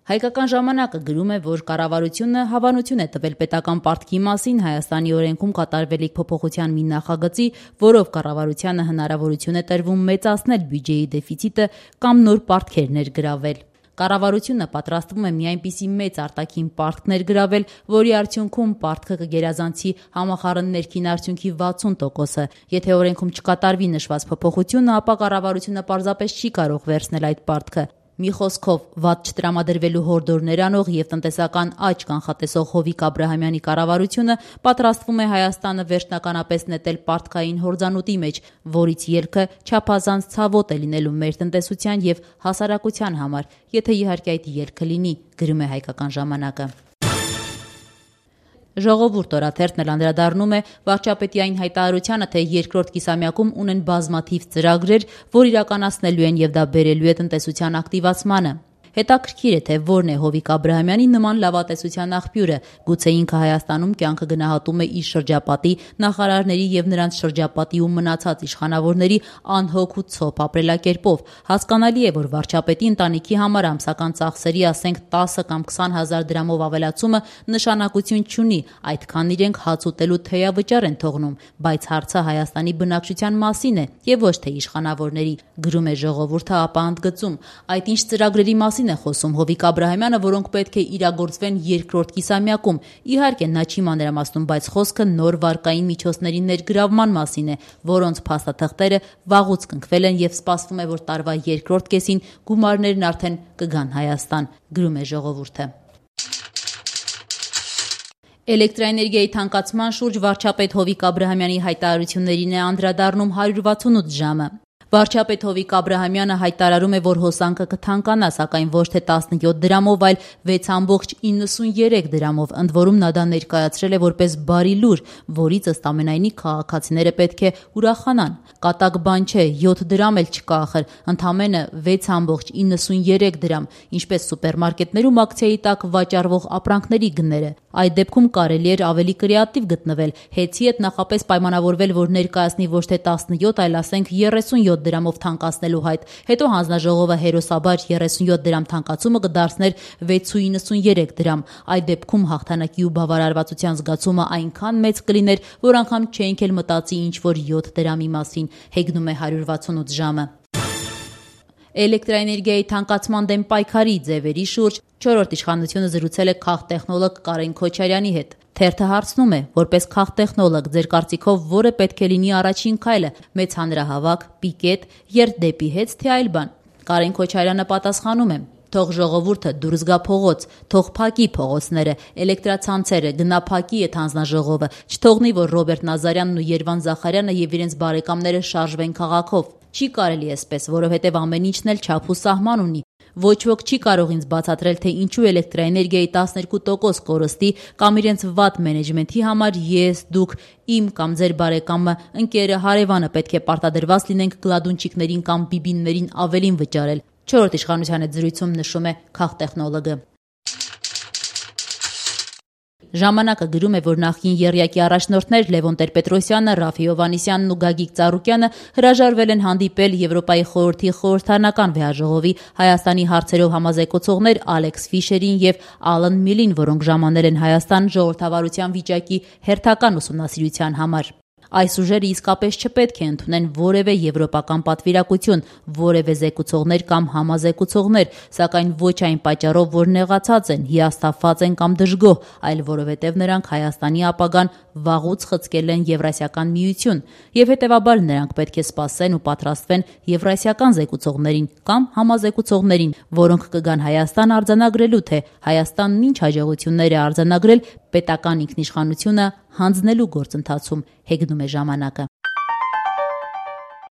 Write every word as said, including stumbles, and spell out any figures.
Հայկական ժամանակը գրում է, որ կառավարությունը հավանություն է տվել պետական պարտքի մասին Հայաստանի օրենքում կատարվելիք փոփոխության մի նախագծի, որով կառավարությանը հնարավորություն է տրվում մեծացնել բյուջեի դեֆիցիտը կամ նոր պարտքեր ներգրավել։ Կառավարությունը պատրաստվում է մի այնպիսի մեծ արտաքին պարտք ներգրավել, որի արդյունքում պարտքը կգերազանցի համախառն ներքին արդյունքի վաթսուն տոկոսը։ Եթե օրենքում չկատարվի նշված փոփոխությունը, ապա կառավարությունը պարզապես չի կարող վերցնել այդ պարտքը։ Մի խոսքով, վատ չտրամադրվելու հորդորներ անող եւ տնտեսական աճ կանխատեսող Հովիկ Աբրահամյանի կառավարությունը պատրաստվում է Հայաստանը վերջնականապես նետել պարտքային հորձանուտի մեջ, որից ելքը չափազանց ցավոտ է լինելու մեր տնտեսության եւ հասարակության համար, եթե իհարկե այդ ելքը լինի, գրում է Հայկական ժամանակը։ Ժողովուրդ օրաթերթն էլ անդրադառնում է վարչապետի այն հայտարարությանը, թե երկրորդ կիսամյակում ունեն բազմաթիվ ծրագրեր, որ իրականացնելու են եւ դա բերելու է տնտեսության ակտիվացմանը։ Հետաքրքիր է, թե որն է Հովիկ Աբրահամյանի նման լավատեսության աղբյուրը։ Գուցե ինքը Հայաստանում կյանքը գնահատում է իր շրջապատի, նախարարների եւ նրանց շրջապատի ու մնացած իշխանավորների անհոգ ու ցոփ ապրելակերպով։ Հասկանալի է, որ վարչապետի ընտանիքի համար ամսական ծախսերի, ասենք տասը կամ քսան հազար դրամով ավելացումը նշանակություն չունի, այդքան իրենք հաց ուտելու թեյավճար են թողնում, բայց հարցը Հայաստանի բնակչության մասին է եւ ոչ թե իշխանավորների, գրում է Ժողովուրդը, ապա ընդգծում. այդ ինչ ծրագրերի մասին է խոսում Հովիկ Աբրահամյանը, որոնք պետք է իրագործվեն երկրորդ կիսամյակում։ Իհարկե նա չի մանրամասնում, բայց խոսքը նոր վարկային միջոցների ներգրավման մասին է, որոնց փաստաթղթերը վաղուց կնքվել են եւ սպասվում է, որ տարվա երկրորդ կեսին գումարներն արդեն կգան Հայաստան, գրում է Ժողովուրդը։ Էլեկտրաէներգիայի թանկացման շուրջ վարչապետ Հովիկ Աբրահամյանի հայտարարություններին է անդրադառնում հարյուր վաթսունութ ժամը։ Վարչապետ Հովիկ Աբրահամյանը հայտարարում է, որ հոսանքը կթանկանա, սակայն ոչ թե տասնյոթ դրամով, այլ վեց կόμma իննսուներեք դրամով, ընդ որում նա դա ներկայացրել է որպես բարի լուր, որից ըստ ամենայնի քաղաքացիները պետք է ուրախանան։ Կատակ բան չէ, յոթ դրամ էլ չկա ախր, ընդամենը վեց կόμma իննսուներեք դրամ, ինչպես սուպերմարկետներում ակցիայի տակ վաճառվող ապրանքների գները։ Այդ դեպքում կարելի էր ավելի կրեատիվ գտնվել, հեծի հետ նախապես պայմանավորվել, որ ներկայացնի ոչ թե տասնյոթ, այլ ասենք երեսունյոթ դրամով թանկացնելու հայտ, հետո հանձնաժողովը հերոսաբար երեսունյոթ դրամ թանկացումը կդարձներ վեց կόμma իննսուներեք դրամ։ Այդ դեպքում հաղթանակի ու բավարարվածության զգացումը այնքան մեծ կլիներ, որ անգամ չէինք էլ մտածի ինչ որ յոթ դրամի մասին, հեգնում է հարյուր վաթսունութ ժամը։ Էլեկտրաէներգիայի թանկացման դեմ պայքարի ձևերի շուրջ չորրորդ իշխանությունը զրուցել է քաղտեխնոլոգ Կարեն Քոչարյանի հետ։ Թերթը հարցնում է, որպես քաղտեխնոլոգ, ձեր կարծիքով որը պետք է լինի առաջին քայլը՝ մեծ հանրահավաք, պիկետ, երթ դեպի հեծ, թե այլ բան։ Կարեն Քոչարյանը պատասխանում է. Թող ժողովուրդը դուրս գա փողոց, թող փակի փողոցները, էլեկտրացանցերը, գնա փակի այդ հանձնաժողովը, չթողնի, որ Ռոբերտ Նազարյանն ու Երվան Զախարյանը եւ իրենց բարեկամները շարժվեն քաղաքով։ Չի կարելի էսպես, որովհետեւ ամեն ինչն էլ չափ ու սահման ունի։ Ոչ ոք չի կարող ինձ բացատրել, թե ինչու էլեկտրաէներգիայի տասներկու տոկոս կորստի կամ իրենց վատ մենեջմենթի համար ես, դուք, իմ կամ ձեր բարեկամը, ընկերը, հարևանը պետք է պարտադրված լինենք գլադունչիկներին կամ բիբիններին ավելին վճարել։ Չորրորդ իշխանության հետ զրույցում նշում է քաղտեխնոլոգը։ Ժամանակը գրում է, որ նախկին եռյակի առաջնորդներ Լևոն Տեր-Պետրոսյանը, Ռաֆի Հովհաննիսյանն ու Գագիկ Ծառուկյանը հրաժարվել են հանդիպել Եվրոպայի խորհրդի խորհրդարանական վեհաժողովի Հայաստանի հարցերով համազեկուցողներ Ալեքս Ֆիշերին եւ Ալան Միլին, որոնք ժամանել են Հայաստան ժողովրդավարության վիճակի հերթական ուսումնասիրության համար։ Այս ուժերը իսկապես չպետք է ընդունեն որևէ եվրոպական պատվիրակություն, որևէ զեկուցողներ կամ համազեկուցողներ, սակայն ոչ այն պատճառով, որ նեղացած են, հիասթափված են կամ դժգոհ, այլ որովհետև նրանք Հայաստանի ապագան վաղուց խցկել են Եվրասիական միություն, եւ հետեւաբար նրանք պետք է սպասեն ու պատրաստվեն եվրասիական զեկուցողներին կամ համազեկուցողներին, որոնք կգան Հայաստան արձանագրելու, թե Հայաստանն ինչ հաջողություններ է արձանագրել պետական ինքնիշխանությունը հանձնելու գործընթացում, հեգնում է ժամանակը։